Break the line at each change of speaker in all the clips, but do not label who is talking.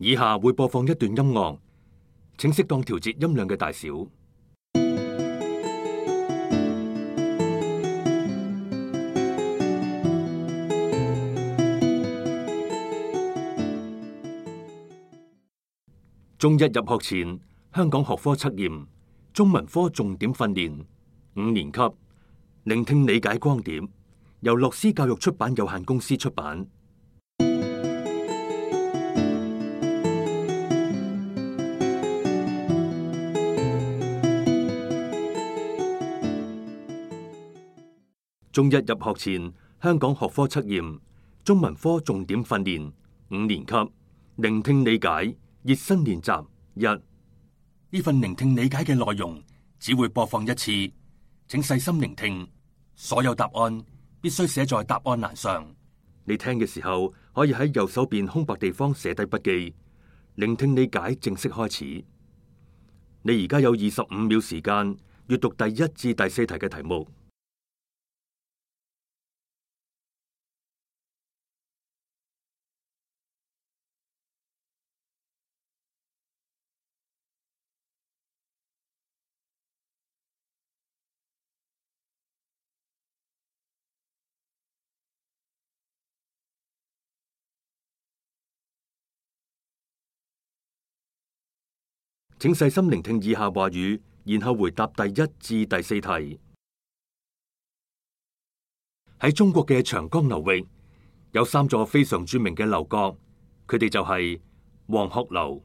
以下會播放一段音樂，請適當調節音量嘅大小。中一入學前，香港學科測驗，中文科重點訓練，5年級，聆聽理解光點，由樂思教育出版有限公司出版。中一入學前，香港學科測驗，中文科重點訓練，5年級，聆聽理解，熱身練習1。呢份聆聽理解嘅內容只會播放一次，請細心聆聽，所有答案必須寫在答案欄上。你聽嘅時候可以喺右手邊空白地方寫低筆記。聆聽理解正式開始。你而家有25秒時間閱讀第1至第4題嘅題目。請細心聆聽以下話語，然後回答第1至第4題。喺中國嘅長江流域，有3座非常著名嘅樓閣，佢哋就係黃鶴樓、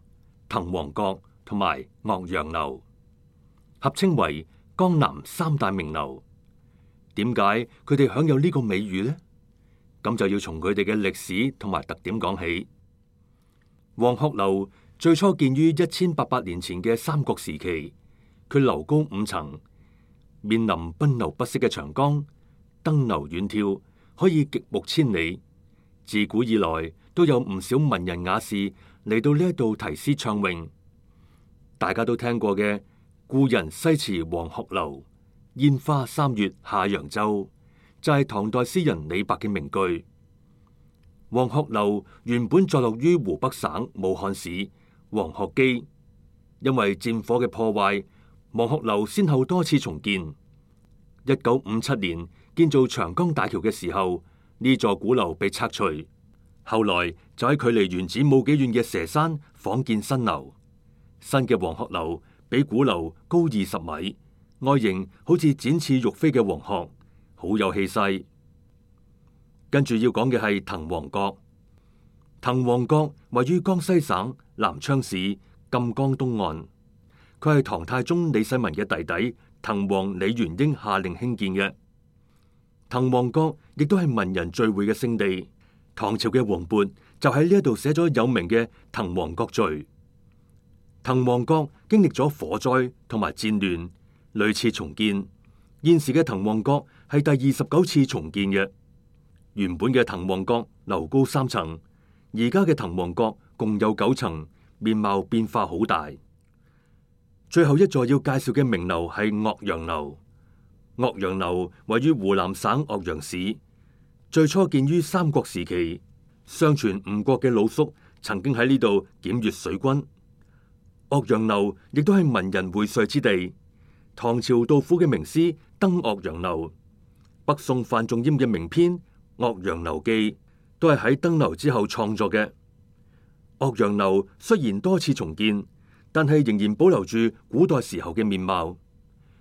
滕王閣同埋岳陽樓，合稱為江南3大名樓。點解佢哋享有呢個美譽呢？咁就要從佢哋嘅歷史同埋特點講起。黃鶴樓最初建於1800年前嘅三國時期，佢樓高5層，面臨奔流不息嘅長江，登樓遠眺，可以極目千里。自古以來都有唔少文人雅士嚟到呢一度題詩暢詠。大家都聽過嘅故人西辭黃鶴樓，煙花3月下揚州，就係唐代詩人李白嘅名句。黃鶴樓原本坐落於湖北省武漢市黃鶴基，因為戰火嘅破壞，黃鶴樓先後多次重建。1957年建造長江大橋嘅時候，呢座古樓被拆除，後來就喺距離原址冇幾遠嘅佘山仿建新樓。新嘅黃鶴樓比古樓高20米，外形好似展翅欲飛嘅黃鶴，好有氣勢。跟住要講嘅係滕王閣。滕王閣位於江西省南昌市贛江東岸，佢係唐太宗李世民嘅弟弟滕王李元英下令興建嘅。滕王閣亦都係文人聚會嘅聖地，唐朝嘅王勃就喺呢一度寫咗有名嘅《滕王閣序》。滕王閣經歷咗火災同埋戰亂，屢次重建。現時嘅滕王閣係第29次重建嘅。原本嘅滕王閣樓高3層，而家嘅滕王閣共有9層，面貌變化好大。最後一座要介紹嘅名樓係岳陽樓。岳陽樓位於湖南省岳陽市，最初建於三國時期。相傳吳國嘅魯肅曾經喺呢度檢閱水軍。岳陽樓亦都係文人會稅之地。唐朝杜甫嘅名詩《登岳陽樓》，北宋范仲淹嘅名篇《岳陽樓記》都係喺登樓之後創作嘅。岳陽樓雖然多次重建，但係仍然保留住古代時候嘅面貌。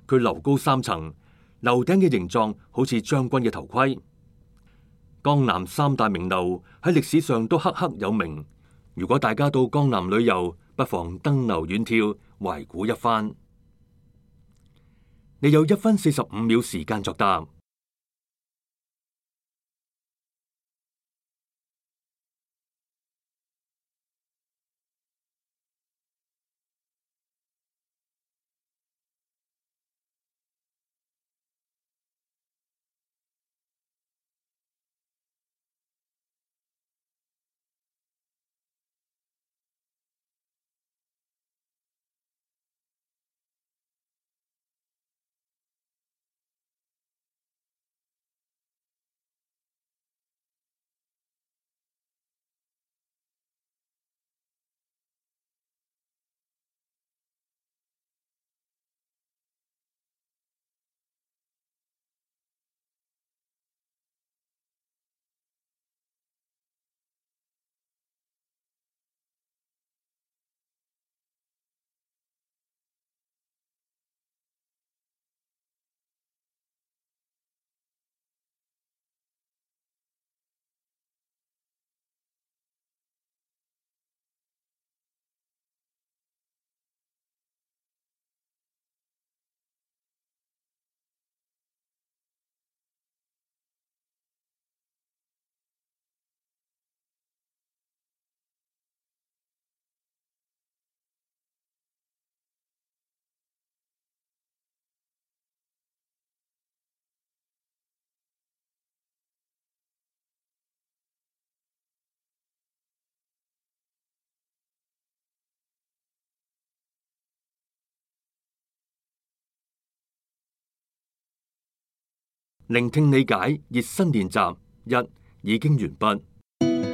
佢樓高3層，樓頂嘅形狀好似將軍嘅頭盔。江南3大名樓喺歷史上都赫赫有名。如果大家到江南旅遊，不妨登樓遠眺，懷古一番。你有1分45秒時間作答。聆聽理解熱身練習一已經完畢。